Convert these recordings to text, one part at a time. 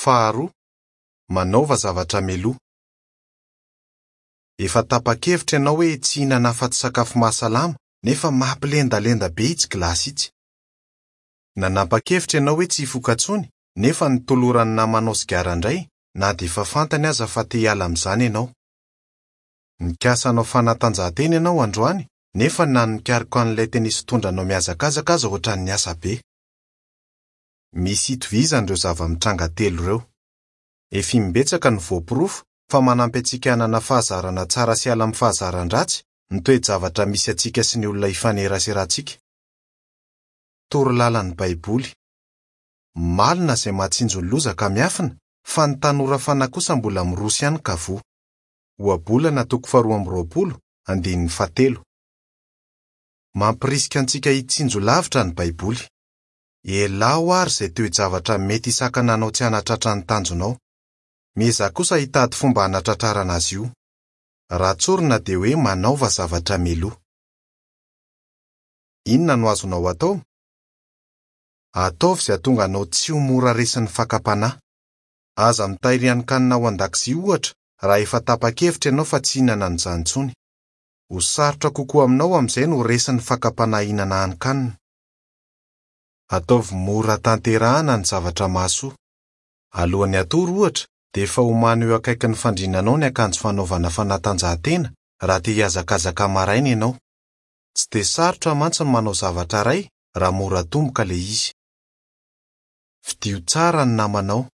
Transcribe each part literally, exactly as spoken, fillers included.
Faharoa, manaova zavatra mialoha. Efa tapa-kevitra ianao hoe tsy hihinana afa-tsy sakafo mahasalama nefa mampilendalenda be itsy gilasy itsy. Nanapa-kevitra ianao hoe tsy hifoka intsony nefa notoloran'ny namanao sigara indray na dia efa fantany aza fa te hiala amin'izany ianao. Nikasa hanao fanatanjahantena ianao androany nefa na ny nikaroka an'ilay tenisy fitondranao mihazakazaka aza ohatran'ny asa be. Misy itovizany ireo zava-mitranga telo ireo. Efa imbetsaka no voaporofo fa manampy antsika hanana fahazarana tsara sy hiala amin'ny fahazaran-dratsy ny toe-javatra misy antsika sy ny olona ifaneraserantsika. Toro lalan'ny Baiboly. Malina izay mahatsinjo ny loza ka miafina, fa ny tanora fanahy kosa mbola miroso ihany ka voa. Ohabolana toko faharoa amby roapolo, andininy fahatelo. Mampirisika antsika hitsinjo lavitra ny Baiboly. Ialao ary izay toe-javatra mety hisakana anao tsy hanatratra ny tanjonao. Miezaha kosa hitady fomba hanatratrarana azy io. Raha tsorina dia hoe manaova zavatra mialoha. Inona no azonao atao? Ataovy izay hahatonga anao tsy ho mora resin'ny fakam-panahy. Aza mitahiry hanin-kanina ao an-dakozia ohatra raha efa tapa-kevitra ianao fa tsy hihinana an'izany intsony. Ho sarotra kokoa aminao amin'izay no resin'ny fakam-panahy hihinana hanin-kanina. Ataovy mora tanterahana ny zavatra mahasoa. Alohan'ny hatory ohatra dia efa omano eo akaikin'ny fandriananao ny akanjo fanaovana fanatanjahantena raha te hihazakazaka maraina ianao. Tsy dia sarotra mantsy ny manao zavatra iray raha mora atomboka ilay izy. Fidio tsara ny namanao.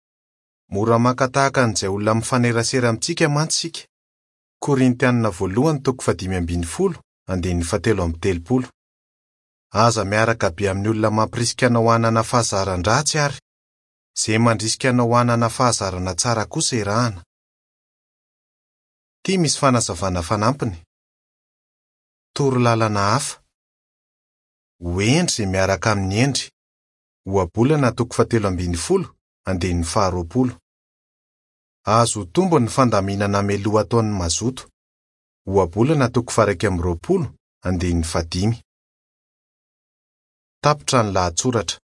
Mora maka tahaka an'izay olona mifanerasera amintsika mantsy isika. Korintianina voalohany toko fahadimy ambin'ny folo, andininy fahatelo amby telopolo. Aza miaraka be amin'ny olona mampirisika anao hanana fahazaran-dratsy ary izay mandrisika anao hanana fahazarana tsara kosa iarahana. Ity misy fanazavana fanampiny. Toro lalana hafa. Ho hendry izay miaraka amin'ny hendry. Ohabolana toko fahatelo ambin'ny folo, andininy faharoapolo. Azo tombo ny fandaminana mialoha ataon'ny mazoto. Ohabolana toko faha-iraika amby roapolo, andininy fahadimy. Tapitra ny lahatsoratra.